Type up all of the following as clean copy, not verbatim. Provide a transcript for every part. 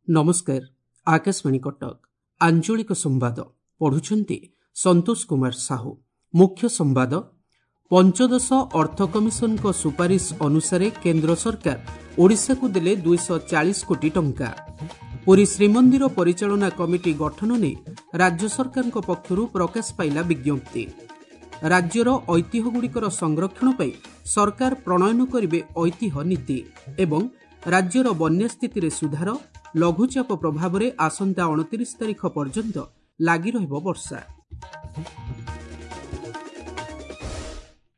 ନମସ୍କାର, ଆକାଶବାଣୀ କଟକ। ଆଞ୍ଚଳିକ ସମ୍ବାଦ ପଢୁଛନ୍ତି ସନ୍ତୋଷ କୁମାର ସାହୁ। ମୁଖ୍ୟ ସମ୍ବାଦ। ପଞ୍ଚଦଶ ଅର୍ଥ କମିଶନଙ୍କ ସୁପାରିଶ ଅନୁସାରେ କେନ୍ଦ୍ର ସରକାର ଓଡ଼ିଶାକୁ ଦେଲେ 240 କୋଟି ଟଙ୍କା। ପୁରୀ ଶ୍ରୀମନ୍ଦିର ପରିଚାଳନା କମିଟି ଗଠନ ନେଇ ରାଜ୍ୟ ସରକାରଙ୍କ ପକ୍ଷରୁ ପ୍ରକାଶ ପାଇଲା ବିଜ୍ଞପ୍ତି। ରାଜ୍ୟର ଐତିହ୍ୟଗୁଡ଼ିକର ସଂରକ୍ଷଣ ପାଇଁ ସରକାର ପ୍ରଣୟନ କରିବେ ଐତିହ୍ୟ ନୀତି। ଏବଂ ରାଜ୍ୟର ବନ୍ୟା ସ୍ଥିତିରେ ସୁଧାର, ଲଘୁଚାପ ପ୍ରଭାବରେ ଆସନ୍ତା 29 ତାରିଖ ପର୍ଯ୍ୟନ୍ତ ଲାଗି ରହିବ ବର୍ଷା।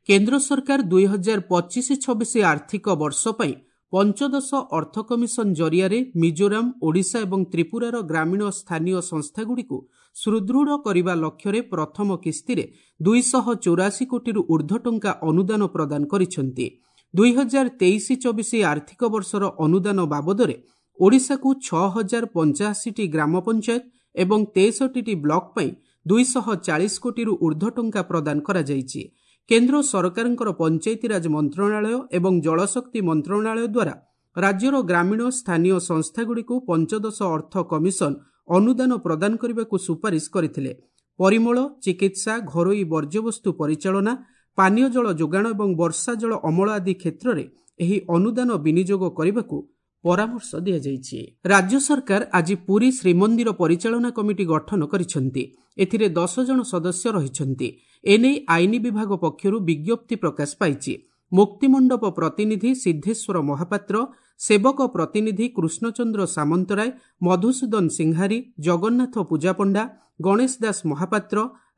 କେନ୍ଦ୍ର ସରକାର 2025-26 ଆର୍ଥିକ ବର୍ଷ ପାଇଁ ପଞ୍ଚଦଶ ଅର୍ଥ କମିଶନ ଜରିଆରେ ମିଜୋରାମ, ଓଡ଼ିଶା ଏବଂ ତ୍ରିପୁରାର ଗ୍ରାମୀଣ ସ୍ଥାନୀୟ ସଂସ୍ଥାଗୁଡ଼ିକୁ ସୁଦୃଢ଼ କରିବା ଲକ୍ଷ୍ୟରେ ପ୍ରଥମ କିସ୍ତିରେ 284 କୋଟିରୁ ଊର୍ଦ୍ଧ୍ୱ ଟଙ୍କା ଅନୁଦାନ ପ୍ରଦାନ କରିଛନ୍ତି। 2023-24 ଆର୍ଥିକ ବର୍ଷର ଅନୁଦାନ ବାବଦରେ ଓଡ଼ିଶାକୁ 6085ଟି ଗ୍ରାମ ପଞ୍ଚାୟତ ଏବଂ 63ଟି ବ୍ଲକ ପାଇଁ 240 କୋଟିରୁ ଊର୍ଦ୍ଧ୍ୱ ଟଙ୍କା ପ୍ରଦାନ କରାଯାଇଛି। କେନ୍ଦ୍ର ସରକାରଙ୍କର ପଞ୍ଚାୟତିରାଜ ମନ୍ତ୍ରଣାଳୟ ଏବଂ ଜଳଶକ୍ତି ମନ୍ତ୍ରଣାଳୟ ଦ୍ୱାରା ରାଜ୍ୟର ଗ୍ରାମୀଣ ସ୍ଥାନୀୟ ସଂସ୍ଥାଗୁଡ଼ିକୁ ପଞ୍ଚଦଶ ଅର୍ଥ କମିଶନ ଅନୁଦାନ ପ୍ରଦାନ କରିବାକୁ ସୁପାରିଶ କରିଥିଲେ। ପରିମଳ, ଚିକିତ୍ସା, ଘରୋଇ ବର୍ଜ୍ୟବସ୍ତୁ ପରିଚାଳନା, ପାନୀୟ ଜଳ ଯୋଗାଣ ଏବଂ ବର୍ଷା ଜଳ ଅମଳ ଆଦି କ୍ଷେତ୍ରରେ ଏହି ଅନୁଦାନ ବିନିଯୋଗ କରିବାକୁ ପରାମର୍ଶ ଦିଆଯାଇଛି। ରାଜ୍ୟ ସରକାର ଆଜି ପୁରୀ ଶ୍ରୀମନ୍ଦିର ପରିଚାଳନା କମିଟି ଗଠନ କରିଛନ୍ତି। ଏଥିରେ 10 ଜଣ ସଦସ୍ୟ ରହିଛନ୍ତି। ଏନେଇ ଆଇନ ବିଭାଗ ପକ୍ଷରୁ ବିଜ୍ଞପ୍ତି ପ୍ରକାଶ ପାଇଛି। ମୁକ୍ତିମଣ୍ଡପ ପ୍ରତିନିଧି ସିଦ୍ଧେଶ୍ୱର ମହାପାତ୍ର, ସେବକ ପ୍ରତିନିଧି କୃଷ୍ଣଚନ୍ଦ୍ର ସାମନ୍ତରାୟ, ମଧୁସୂଦନ ସିଂହାରୀ, ଜଗନ୍ନାଥ ପୂଜାପଣ୍ଡା, ଗଣେଶ ଦାସ ମହାପାତ୍ର,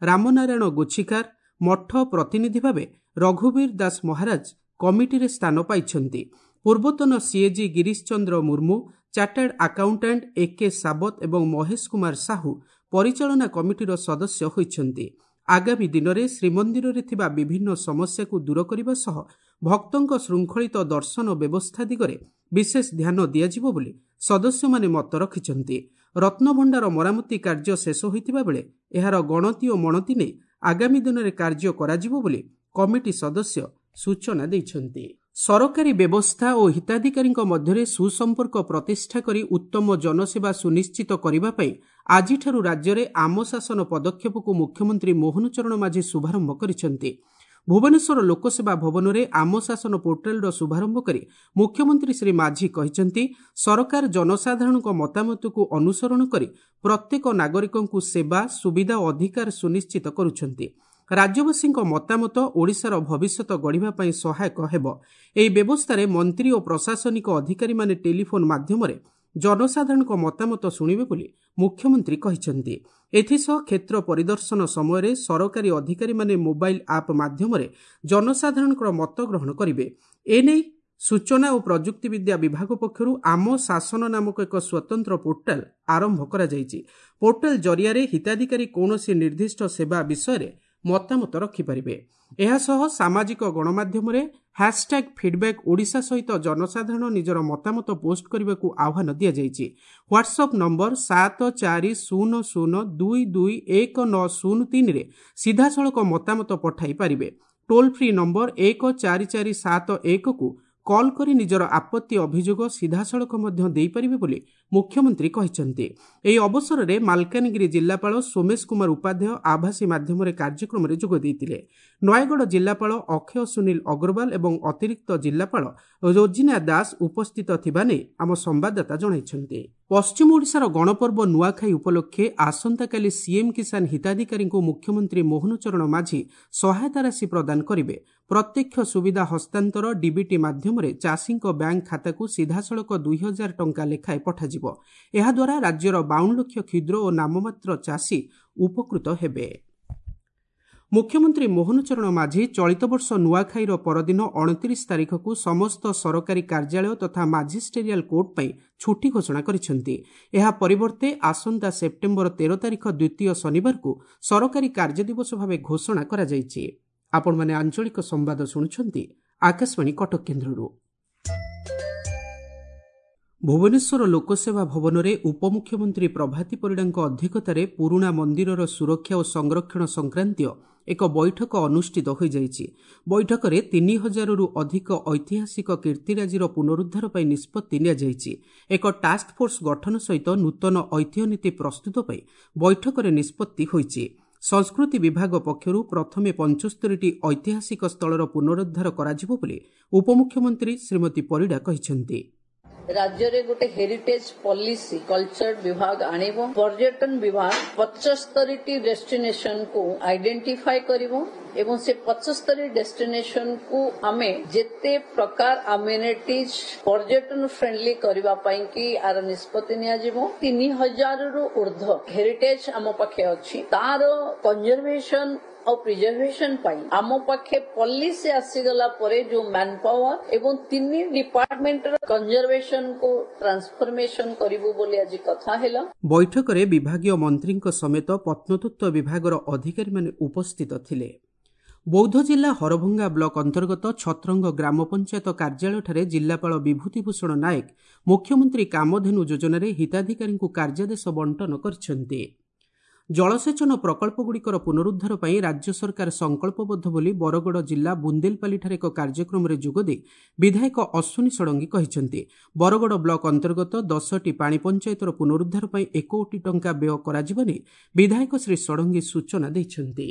ରାମନାରାୟଣ ଗୋଛିକାର, ମଠ ପ୍ରତିନିଧି ଭାବେ ରଘୁବୀର ଦାସ ମହାରାଜ କମିଟିରେ ସ୍ଥାନ ପାଇଛନ୍ତି। ପୂର୍ବତନ CAG Girish Chandra Murmu, chartered accountant A K Sabat ଏବଂ ମହେଶ କୁମାର ସାହୁ ପରିଚାଳନା କମିଟିର ସଦସ୍ୟ ହୋଇଛନ୍ତି। ଆଗାମୀ ଦିନରେ ଶ୍ରୀମନ୍ଦିରରେ ଥିବା ବିଭିନ୍ନ ସମସ୍ୟାକୁ ଦୂର କରିବା ସହ ଭକ୍ତଙ୍କ ଶୃଙ୍ଖଳିତ ଦର୍ଶନ ବ୍ୟବସ୍ଥା ଦିଗରେ ବିଶେଷ ଧ୍ୟାନ ଦିଆଯିବ ବୋଲି ସଦସ୍ୟମାନେ ମତ ରଖିଛନ୍ତି। ରତ୍ନଭଣ୍ଡାର ମରାମତି କାର୍ଯ୍ୟ ଶେଷ ହୋଇଥିବା ବେଳେ ଏହାର ଗଣତି ଓ ମଣତି ନେଇ ଆଗାମୀ ଦିନରେ କାର୍ଯ୍ୟ କରାଯିବ ବୋଲି କମିଟି ସଦସ୍ୟ ସୂଚନା ଦେଇଛନ୍ତି। ସରକାରୀ ବ୍ୟବସ୍ଥା ଓ ହିତାଧିକାରୀଙ୍କ ମଧ୍ୟରେ ସୁସମ୍ପର୍କ ପ୍ରତିଷ୍ଠା କରି ଉତ୍ତମ ଜନସେବା ସୁନିଶ୍ଚିତ କରିବା ପାଇଁ ଆଜିଠାରୁ ରାଜ୍ୟରେ ଆମ ଶାସନ ପଦକ୍ଷେପକୁ ମୁଖ୍ୟମନ୍ତ୍ରୀ ମୋହନ ଚରଣ ମାଝୀ ଶୁଭାରମ୍ଭ କରିଛନ୍ତି। ଭୁବନେଶ୍ୱର ଲୋକସେବା ଭବନରେ ଆମ ଶାସନ ପୋର୍ଟାଲର ଶୁଭାରମ୍ଭ କରି ମୁଖ୍ୟମନ୍ତ୍ରୀ ଶ୍ରୀ ମାଝୀ କହିଛନ୍ତି, ସରକାର ଜନସାଧାରଣଙ୍କ ମତାମତକୁ ଅନୁସରଣ କରି ପ୍ରତ୍ୟେକ ନାଗରିକଙ୍କୁ ସେବା, ସୁବିଧା ଓ ଅଧିକାର ସୁନିଶ୍ଚିତ କରୁଛନ୍ତି। ରାଜ୍ୟବାସୀଙ୍କ ମତାମତ ଓଡ଼ିଶାର ଭବିଷ୍ୟତ ଗଢ଼ିବା ପାଇଁ ସହାୟକ ହେବ। ଏହି ବ୍ୟବସ୍ଥାରେ ମନ୍ତ୍ରୀ ଓ ପ୍ରଶାସନିକ ଅଧିକାରୀମାନେ ଟେଲିଫୋନ୍ ମାଧ୍ୟମରେ ଜନସାଧାରଣଙ୍କ ମତାମତ ଶୁଣିବେ ବୋଲି ମୁଖ୍ୟମନ୍ତ୍ରୀ କହିଛନ୍ତି। ଏଥିସହ କ୍ଷେତ୍ର ପରିଦର୍ଶନ ସମୟରେ ସରକାରୀ ଅଧିକାରୀମାନେ ମୋବାଇଲ ଆପ୍ ମାଧ୍ୟମରେ ଜନସାଧାରଣଙ୍କର ମତ ଗ୍ରହଣ କରିବେ। ଏନେଇ ସୂଚନା ଓ ପ୍ରଯୁକ୍ତିବିଦ୍ୟା ବିଭାଗ ପକ୍ଷରୁ ଆମ ଶାସନ ନାମକ ଏକ ସ୍ୱତନ୍ତ୍ର ପୋର୍ଟାଲ ଆରମ୍ଭ କରାଯାଇଛି। ପୋର୍ଟାଲ ଜରିଆରେ ହିତାଧିକାରୀ କୌଣସି ନିର୍ଦ୍ଦିଷ୍ଟ ସେବା ବିଷୟରେ ମତାମତ ରଖିପାରିବେ। ଏହାସହ ସାମାଜିକ ଗଣମାଧ୍ୟମରେ ହ୍ୟାସଟ୍ୟାଗ୍ ଫିଡ୍ବ୍ୟାକ୍ ଓଡ଼ିଶା ସହିତ ଜନସାଧାରଣ ନିଜର ମତାମତ ପୋଷ୍ଟ କରିବାକୁ ଆହ୍ୱାନ ଦିଆଯାଇଛି। ହ୍ୱାଟ୍ସଆପ୍ ନମ୍ବର 7400221903ରେ ସିଧାସଳଖ ମତାମତ ପଠାଇ ପାରିବେ। ଟୋଲ୍ ଫ୍ରି ନମ୍ବର 14471କୁ କଲ୍ କରି ନିଜର ଆପତ୍ତି ଅଭିଯୋଗ ସିଧାସଳଖ ମଧ୍ୟ ଦେଇପାରିବେ ବୋଲି ମୁଖ୍ୟମନ୍ତ୍ରୀ କହିଛନ୍ତି। ଏହି ଅବସରରେ ମାଲକାନଗିରି ଜିଲ୍ଲାପାଳ ସୋମେଶ କୁମାର ଉପାଧ୍ୟାୟ ଆଭାସୀ ମାଧ୍ୟମରେ କାର୍ଯ୍ୟକ୍ରମରେ ଯୋଗ ଦେଇଥିଲେ। ନୟାଗଡ଼ ଜିଲ୍ଲାପାଳ ଅକ୍ଷୟ ସୁନୀଲ ଅଗ୍ରୱାଲ ଏବଂ ଅତିରିକ୍ତ ଜିଲ୍ଲାପାଳ ରୋଜିନା ଦାସ ଉପସ୍ଥିତ ଥିବା ନେଇ ଆମ ସମ୍ବାଦଦାତା ଜଣାଇଛନ୍ତି। ପଶ୍ଚିମ ଓଡ଼ିଶାର ଗଣପର୍ବ ନୂଆଖାଇ ଉପଲକ୍ଷେ ଆସନ୍ତାକାଲି ସିଏମ୍ କିଷାନ ହିତାଧିକାରୀଙ୍କୁ ମୁଖ୍ୟମନ୍ତ୍ରୀ ମୋହନ ଚରଣ ମାଝୀ ସହାୟତା ରାଶି ପ୍ରଦାନ କରିବେ। ପ୍ରତ୍ୟକ୍ଷ ସୁବିଧା ହସ୍ତାନ୍ତର ଡିବିଟି ମାଧ୍ୟମରେ ଚାଷୀଙ୍କ ବ୍ୟାଙ୍କ ଖାତାକୁ ସିଧାସଳଖ 2000 ଟଙ୍କା ଲେଖାଏଁ ପଠାଯିବ। ଏହାଦ୍ୱାରା ରାଜ୍ୟର 52 ଲକ୍ଷ କ୍ଷୁଦ୍ର ଓ ନାମମାତ୍ର ଚାଷୀ ଉପକୃତ ହେବେ। ମୁଖ୍ୟମନ୍ତ୍ରୀ ମୋହନ ଚରଣ ମାଝୀ ଚଳିତ ବର୍ଷ ନୂଆଖାଇର ପରଦିନ 29 ତାରିଖକୁ ସମସ୍ତ ସରକାରୀ କାର୍ଯ୍ୟାଳୟ ତଥା ମାଜିଷ୍ଟେରିଆଲ କୋର୍ଟ ପାଇଁ ଛୁଟି ଘୋଷଣା କରିଛନ୍ତି। ଏହା ପରିବର୍ତ୍ତେ ଆସନ୍ତା ସେପ୍ଟେମ୍ବର 13 ତାରିଖ ଦ୍ୱିତୀୟ ଶନିବାରକୁ ସରକାରୀ କାର୍ଯ୍ୟଦିବସ ଭାବେ ଘୋଷଣା କରାଯାଇଛି। ଆପଣମାନେ ଆଞ୍ଚଳିକ ସମ୍ବାଦ ଶୁଣୁଛନ୍ତି ଆକାଶବାଣୀ କଟକ କେନ୍ଦ୍ରରୁ। ଭୁବନେଶ୍ୱର ଲୋକସେବା ଭବନରେ ଉପମୁଖ୍ୟମନ୍ତ୍ରୀ ପ୍ରଭାତୀ ପରିଡ଼ାଙ୍କ ଅଧ୍ୟକ୍ଷତାରେ ପୁରୁଣା ମନ୍ଦିରର ସୁରକ୍ଷା ଓ ସଂରକ୍ଷଣ ସଂକ୍ରାନ୍ତୀୟ ଏକ ବୈଠକ ଅନୁଷ୍ଠିତ ହୋଇଯାଇଛି। ବୈଠକରେ 3000ରୁ ଅଧିକ ଐତିହାସିକ କୀର୍ତ୍ତିରାଜିର ପୁନରୁଦ୍ଧାର ପାଇଁ ନିଷ୍ପତ୍ତି ନିଆଯାଇଛି। ଏକ ଟାସ୍କଫୋର୍ସ ଗଠନ ସହିତ ନୂତନ ଐତିହ୍ୟ ନୀତି ପ୍ରସ୍ତୁତ ପାଇଁ ବୈଠକରେ ନିଷ୍ପତ୍ତି ହୋଇଛି। ସଂସ୍କୃତି ବିଭାଗ ପକ୍ଷରୁ ପ୍ରଥମେ 75ଟି ଐତିହାସିକ ସ୍ଥଳର ପୁନରୁଦ୍ଧାର କରାଯିବ ବୋଲି ଉପମୁଖ୍ୟମନ୍ତ୍ରୀ ଶ୍ରୀମତୀ ପରିଡ଼ା କହିଛନ୍ତି। ରାଜ୍ୟରେ ଗୋଟେ ହେରିଟେଜ ପଲିସି କଲଚର ବିଭାଗ ଆଣିବ। ପର୍ଯ୍ୟଟନ ବିଭାଗ 75ଟି ଡେଷ୍ଟିନେସନକୁ ଆଇଡେଣ୍ଟିଫାଏ କରିବ ଏବଂ ସେ 75 ଡେଷ୍ଟିନେସନକୁ ଆମେ ଯେତେ ପ୍ରକାର ଆମ୍ୟୁନିଟିଜ ପର୍ଯ୍ୟଟନ ଫ୍ରେଣ୍ଡଲି କରିବା ପାଇଁ କି ଆର ନିଷ୍ପତ୍ତି ନିଆଯିବ। 3000ରୁ ଉର୍ଦ୍ଧ୍ୱ ହେରିଟେଜ ଆମ ପାଖେ ଅଛି, ତାର କନଜରଭେସନ ଆଉ ପ୍ରିଜର୍ଭେସନ ପାଇଁ ଆମ ପାଖେ ପଲିସି ଆସିଗଲା ପରେ ଯୋଉ ମ୍ୟାନ ପାୱାର ଏବଂ 3 ଡିପାର୍ଟମେଣ୍ଟର କନଜରଭେସନକୁ ଟ୍ରାନ୍ସଫର୍ମେସନ କରିବୁ ବୋଲି ଆଜି କଥା ହେଲା। ବୈଠକରେ ବିଭାଗୀୟ ମନ୍ତ୍ରୀଙ୍କ ସମେତ ପ୍ରତ୍ନତତ୍ତ୍ୱ ବିଭାଗର ଅଧିକାରୀମାନେ ଉପସ୍ଥିତ ଥିଲେ। ବୌଦ୍ଧ ଜିଲ୍ଲା ହରଭଙ୍ଗା ବ୍ଲକ ଅନ୍ତର୍ଗତ ଛତ୍ରଙ୍ଗ ଗ୍ରାମ ପଞ୍ଚାୟତ କାର୍ଯ୍ୟାଳୟଠାରେ ଜିଲ୍ଲାପାଳ ବିଭୂତିଭୂଷଣ ନାୟକ ମୁଖ୍ୟମନ୍ତ୍ରୀ କାମଧେନୁ ଯୋଜନାରେ ହିତାଧିକାରୀଙ୍କୁ କାର୍ଯ୍ୟାଦେଶ ବଣ୍ଟନ କରିଛନ୍ତି। ଜଳସେଚନ ପ୍ରକଳ୍ପଗୁଡ଼ିକର ପୁନରୁଦ୍ଧାର ପାଇଁ ରାଜ୍ୟ ସରକାର ସଂକଳ୍ପବଦ୍ଧ ବୋଲି ବରଗଡ଼ ଜିଲ୍ଲା ବୁନ୍ଦେଲପାଲିଠାରେ ଏକ କାର୍ଯ୍ୟକ୍ରମରେ ଯୋଗଦେଇ ବିଧାୟକ ଅଶ୍ୱିନୀ ଷଡ଼ଙ୍ଗୀ କହିଛନ୍ତି। ବରଗଡ଼ ବ୍ଲକ ଅନ୍ତର୍ଗତ 10ଟି ପାଣି ପଞ୍ଚାୟତର ପୁନରୁଦ୍ଧାର ପାଇଁ 1 କୋଟି ଟଙ୍କା ବ୍ୟୟ କରାଯିବା ନେଇ ବିଧାୟକ ଶ୍ରୀ ଷଡ଼ଙ୍ଗୀ ସୂଚନା ଦେଇଛନ୍ତି।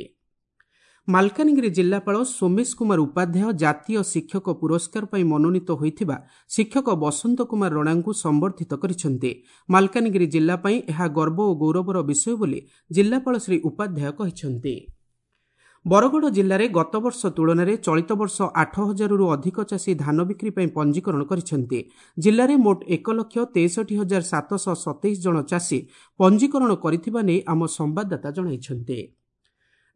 ମାଲକାନଗିରି ଜିଲ୍ଲାପାଳ ସୋମେଶ କୁମାର ଉପାଧ୍ୟାୟ ଜାତୀୟ ଶିକ୍ଷକ ପୁରସ୍କାର ପାଇଁ ମନୋନୀତ ହୋଇଥିବା ଶିକ୍ଷକ ବସନ୍ତ କୁମାର ରଣାଙ୍କୁ ସମ୍ବର୍ଦ୍ଧିତ କରିଛନ୍ତି। ମାଲକାନଗିରି ଜିଲ୍ଲା ପାଇଁ ଏହା ଗର୍ବ ଓ ଗୌରବର ବିଷୟ ବୋଲି ଜିଲ୍ଲାପାଳ ଶ୍ରୀ ଉପାଧ୍ୟାୟ କହିଛନ୍ତି। ବରଗଡ଼ ଜିଲ୍ଲାରେ ଗତବର୍ଷ ତୁଳନାରେ ଚଳିତ ବର୍ଷ 8000ରୁ ଅଧିକ ଚାଷୀ ଧାନ ବିକ୍ରି ପାଇଁ ପଞ୍ଜୀକରଣ କରିଛନ୍ତି। ଜିଲ୍ଲାରେ ମୋଟ 1,63,727 ଜଣ ଚାଷୀ ପଞ୍ଜୀକରଣ କରିଥିବା ନେଇ ଆମ ସମ୍ବାଦଦାତା ଜଣାଇଛନ୍ତି।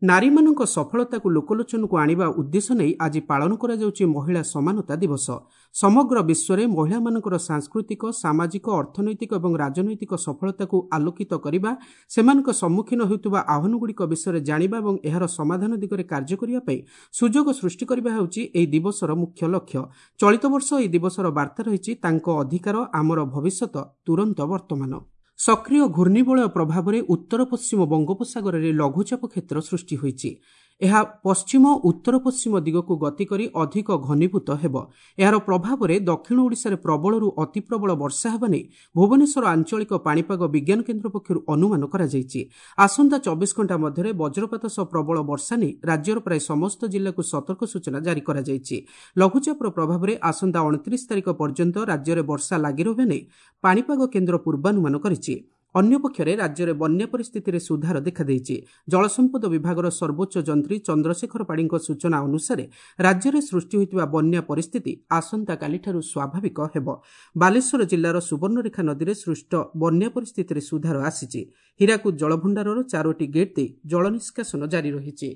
ନାରୀମାନଙ୍କ ସଫଳତାକୁ ଲୋକଲୋଚନକୁ ଆଣିବା ଉଦ୍ଦେଶ୍ୟ ନେଇ ଆଜି ପାଳନ କରାଯାଉଛି ମହିଳା ସମାନତା ଦିବସ। ସମଗ୍ର ବିଶ୍ୱରେ ମହିଳାମାନଙ୍କର ସାଂସ୍କୃତିକ, ସାମାଜିକ, ଅର୍ଥନୈତିକ ଏବଂ ରାଜନୈତିକ ସଫଳତାକୁ ଆଲୋକିତ କରିବା, ସେମାନଙ୍କ ସମ୍ମୁଖୀନ ହେଉଥିବା ଆହ୍ୱାନଗୁଡ଼ିକ ବିଷୟରେ ଜାଣିବା ଏବଂ ଏହାର ସମାଧାନ ଦିଗରେ କାର୍ଯ୍ୟ କରିବା ପାଇଁ ସୁଯୋଗ ସୃଷ୍ଟି କରିବା ହେଉଛି ଏହି ଦିବସର ମୁଖ୍ୟ ଲକ୍ଷ୍ୟ। ଚଳିତ ବର୍ଷ ଏହି ଦିବସର ବାର୍ତ୍ତା ରହିଛି ତାଙ୍କ ଅଧିକାର ଆମର ଭବିଷ୍ୟତ ତୁରନ୍ତ ବର୍ତ୍ତମାନ। ସକ୍ରିୟ ଘୂର୍ଣ୍ଣିବଳୟ ପ୍ରଭାବରେ ଉତ୍ତର ପଶ୍ଚିମ ବଙ୍ଗୋପସାଗରରେ ଲଘୁଚାପ କ୍ଷେତ୍ର ସୃଷ୍ଟି ହୋଇଛି। ଏହା ପଶ୍ଚିମ ଉତ୍ତର ପଶ୍ଚିମ ଦିଗକୁ ଗତି କରି ଅଧିକ ଘନୀଭୂତ ହେବ। ଏହାର ପ୍ରଭାବରେ ଦକ୍ଷିଣ ଓଡ଼ିଶାରେ ପ୍ରବଳରୁ ଅତିପ୍ରବଳ ବର୍ଷା ହେବା ନେଇ ଭୁବନେଶ୍ୱର ଆଞ୍ଚଳିକ ପାଣିପାଗ ବିଜ୍ଞାନ କେନ୍ଦ୍ର ପକ୍ଷରୁ ଅନୁମାନ କରାଯାଇଛି। ଆସନ୍ତା 24 ଘଣ୍ଟା ମଧ୍ୟରେ ବଜ୍ରପାତ ସହ ପ୍ରବଳ ବର୍ଷା ନେଇ ରାଜ୍ୟର ପ୍ରାୟ ସମସ୍ତ ଜିଲ୍ଲାକୁ ସତର୍କ ସୂଚନା ଜାରି କରାଯାଇଛି। ଲଘୁଚାପର ପ୍ରଭାବରେ ଆସନ୍ତା 29 ତାରିଖ ପର୍ଯ୍ୟନ୍ତ ରାଜ୍ୟରେ ବର୍ଷା ଲାଗି ରହିବା ନେଇ ପାଣିପାଗ କେନ୍ଦ୍ର ପୂର୍ବାନୁମାନ କରିଛି। ଅନ୍ୟପକ୍ଷରେ ରାଜ୍ୟରେ ବନ୍ୟା ପରିସ୍ଥିତିରେ ସୁଧାର ଦେଖାଦେଇଛି। ଜଳସମ୍ପଦ ବିଭାଗର ସର୍ବୋଚ୍ଚ ଯନ୍ତ୍ରୀ ଚନ୍ଦ୍ରଶେଖର ପାଢ଼ୀଙ୍କ ସୂଚନା ଅନୁସାରେ ରାଜ୍ୟରେ ସୃଷ୍ଟି ହୋଇଥିବା ବନ୍ୟା ପରିସ୍ଥିତି ଆସନ୍ତାକାଲିଠାରୁ ସ୍ୱାଭାବିକ ହେବ। ବାଲେଶ୍ୱର ଜିଲ୍ଲାର ସୁବର୍ଣ୍ଣରେଖା ନଦୀରେ ସୃଷ୍ଟ ବନ୍ୟା ପରିସ୍ଥିତିରେ ସୁଧାର ଆସିଛି। ହୀରାକୁଦ ଜଳଭଣ୍ଡାରର 4ଟି ଗେଟ୍ ଦେଇ ଜଳ ନିଷ୍କାସନ ଜାରି ରହିଛି।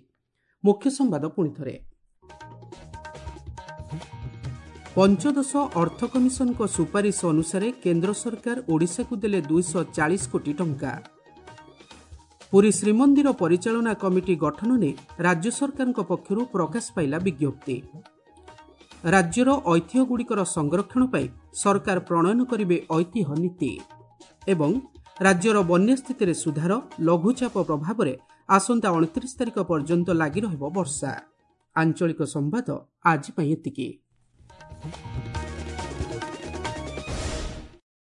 ମୁଖ୍ୟ ସମ୍ବାଦ ପୁଣିଥରେ। ପଞ୍ଚଦଶ ଅର୍ଥ କମିଶନଙ୍କ ସୁପାରିଶ ଅନୁସାରେ କେନ୍ଦ୍ର ସରକାର ଓଡ଼ିଶାକୁ ଦେଲେ 240 କୋଟି ଟଙ୍କା। ପୁରୀ ଶ୍ରୀମନ୍ଦିର ପରିଚାଳନା କମିଟି ଗଠନ ନେଇ ରାଜ୍ୟ ସରକାରଙ୍କ ପକ୍ଷରୁ ପ୍ରକାଶ ପାଇଲା ବିଜ୍ଞପ୍ତି। ରାଜ୍ୟର ଐତିହ୍ୟଗୁଡ଼ିକର ସଂରକ୍ଷଣ ପାଇଁ ସରକାର ପ୍ରଣୟନ କରିବେ ଐତିହ୍ୟ ନୀତି। ଏବଂ ରାଜ୍ୟର ବନ୍ୟା ସ୍ଥିତିରେ ସୁଧାର, ଲଘୁଚାପ ପ୍ରଭାବରେ ଆସନ୍ତା 29 ତାରିଖ ପର୍ଯ୍ୟନ୍ତ ଲାଗି ରହିବ ବର୍ଷା। ଆଞ୍ଚଳିକ ସମ୍ବାଦ ଆଜି ପାଇଁ ଏତିକି।